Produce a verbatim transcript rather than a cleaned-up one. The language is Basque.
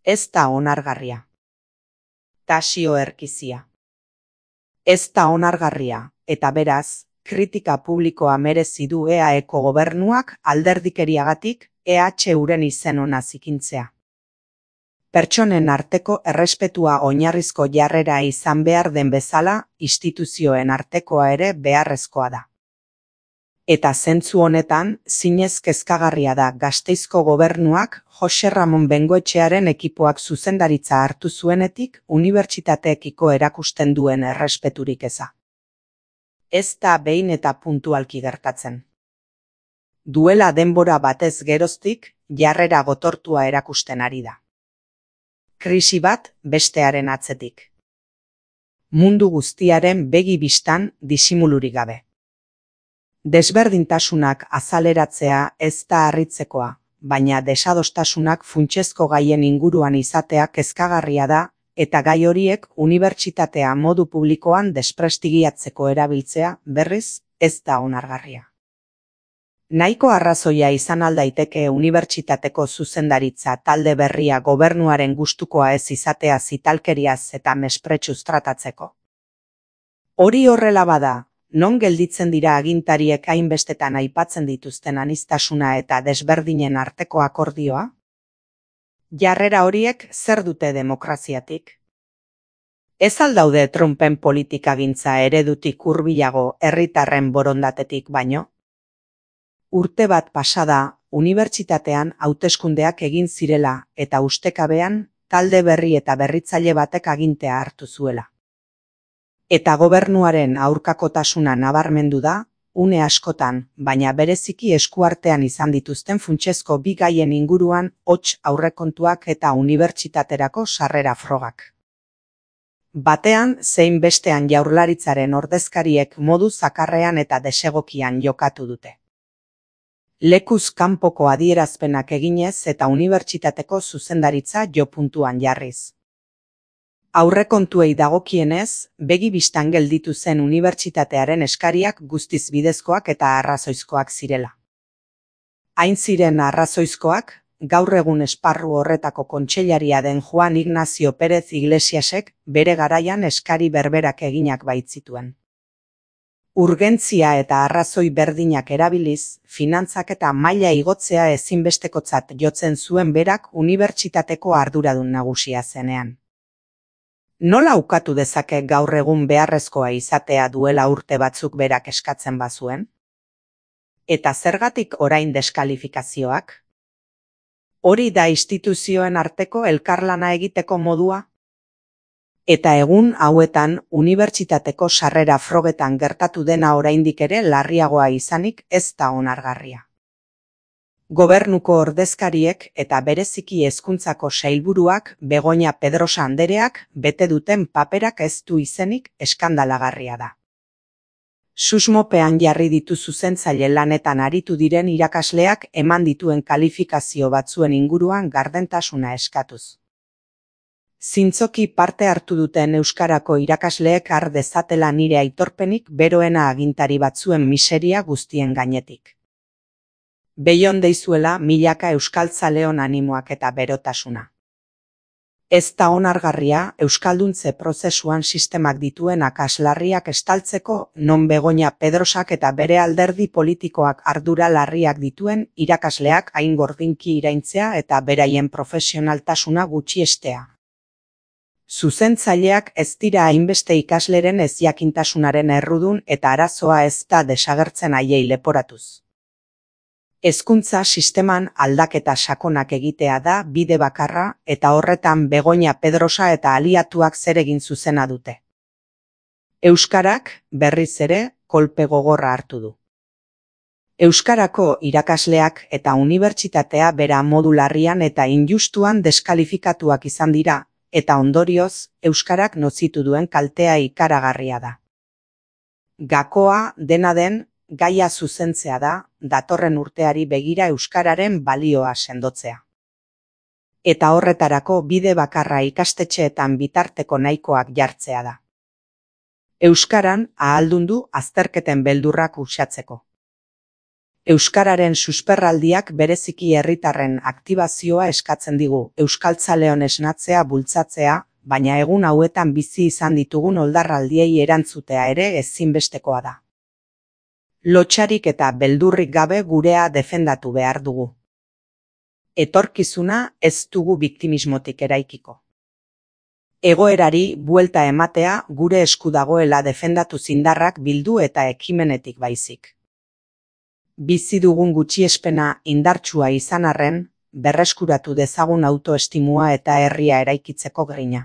Ez da onargarria. Tasio Erkizia. Ez da onargarria, eta beraz, kritika publikoa merezi du E A Eko gobernuak alderdikeriagatik E H uren izen ona zikintzea. Pertsonen arteko errespetua oinarrizko jarrera izan behar den bezala, instituzioen artekoa ere beharrezkoa da. Eta zentzu honetan, zinez kezkagarria da Gasteizko gobernuak Jose Ramon Bengoetxearen ekipoak zuzendaritza hartu zuenetik unibertsitateekiko erakusten duen errespeturik eza. Ez da behin eta puntualki gertatzen. Duela denbora batez geroztik, jarrera gotortua erakusten ari da. Krisi bat bestearen atzetik. Mundu guztiaren begi bistan disimulurik gabe. Desberdintasunak azaleratzea ez da harritzekoa, baina desadostasunak funtsezko gaien inguruan izatea kezkagarria da, eta gai horiek unibertsitatea modu publikoan desprestigiatzeko erabiltzea, berriz, ez da onargarria. Nahiko arrazoia izan aldaiteke unibertsitateko zuzendaritza talde berria gobernuaren gustukoa ez izatea zitalkeriaz eta mespretsuz tratatzeko. Hori horrela bada, non gelditzen dira agintariek hainbestetan aipatzen dituzten aniztasuna eta desberdinen arteko akordioa? Jarrera horiek zer dute demokraziatik? Ez aldaude Trumpen politikagintza eredutik hurbilago herritarren borondatetik baino? Urte bat pasada, unibertsitatean hauteskundeak egin zirela eta ustekabean talde berri eta berritzaile batek agintea hartu zuela. Eta gobernuaren aurkakotasuna nabarmendu da, une askotan, baina bereziki eskuartean izan dituzten funtsezko bi gaien inguruan hots aurrekontuak eta unibertsitaterako sarrera frogak. Batean zein bestean Jaurlaritzaren ordezkariek modu zakarrean eta desegokian jokatu dute. Lekuz kanpoko adierazpenak eginez eta unibertsitateko zuzendaritza jo puntuan jarriz. Aurrekontuei dagokienez, begi bistan gelditu zen unibertsitatearen eskariak guztiz bidezkoak eta arrazoizkoak zirela. Hain ziren arrazoizkoak, gaur egun esparru horretako kontseilaria den Juan Ignacio Pérez Iglesiasek bere garaian eskari berberak eginak baitzituen. Urgentzia eta arrazoi berdinak erabiliz, finantzak eta maila igotzea ezinbestekotzat jotzen zuen berak unibertsitateko arduradun nagusia zenean. Nola ukatu dezake gaur egun beharrezkoa izatea duela urte batzuk berak eskatzen bazuen? Eta zergatik orain deskalifikazioak? Hori da instituzioen arteko elkarlana egiteko modua? Eta egun hauetan unibertsitateko sarrera frogetan gertatu dena oraindik ere larriagoa izanik ez da onargarria. Gobernuko ordezkariek eta bereziki hezkuntzako sailburuak Begoña Pedrosa andereak bete duten paperak ez du izenik eskandalagarria da. Susmopean jarri ditu zuzentzaile lanetan aritu diren irakasleak eman dituen kalifikazio batzuen inguruan gardentasuna eskatuz. Zintzoki parte hartu duten euskarako irakasleek har dezatela nire aitorpenik beroena agintari batzuen miseria guztien gainetik. Beion deizuela milaka euskaltzaleon animoak eta berotasuna. Ez da onargarria euskalduntze prozesuan sistemak dituen akaslarriak estaltzeko non Begoña Pedrosak eta bere alderdi politikoak ardura larriak dituen irakasleak hain gordinki iraintzea eta beraien profesionaltasuna gutxiestea. Zuzentzaileak ez dira hainbeste ikasleren ezjakintasunaren errudun eta arazoa ez da desagertzen haiei leporatuz. Hezkuntza sisteman aldaketa sakonak egitea da bide bakarra eta horretan Begoña Pedrosa eta aliatuak zer egin zuzena dute. Euskarak berriz ere kolpe gogorra hartu du. Euskarako irakasleak eta unibertsitatea bera modu larrian eta injustuan deskalifikatuak izan dira, eta ondorioz, euskarak nozitu duen kaltea ikaragarria da. Gakoa dena den, gaia zuzentzea da, datorren urteari begira euskararen balioa sendotzea. Eta horretarako bide bakarra ikastetxeetan bitarteko nahikoak jartzea da. Euskaran ahaldundu azterketen beldurrak uxatzeko. Euskararen susperraldiak bereziki herritarren aktibazioa eskatzen digu, euskaltzaleon esnatzea bultzatzea, baina egun hauetan bizi izan ditugun oldarraldiei erantzutea ere ezinbestekoa da. Lotsarik eta beldurrik gabe gurea defendatu behar dugu. Etorkizuna ez dugu biktimismotik eraikiko. Egoerari buelta ematea gure esku dagoela defendatu zindarrak bildu eta ekimenetik baizik. Bizi dugun gutxiespena indartsua izan arren, berreskuratu dezagun autoestimua eta herria eraikitzeko grina.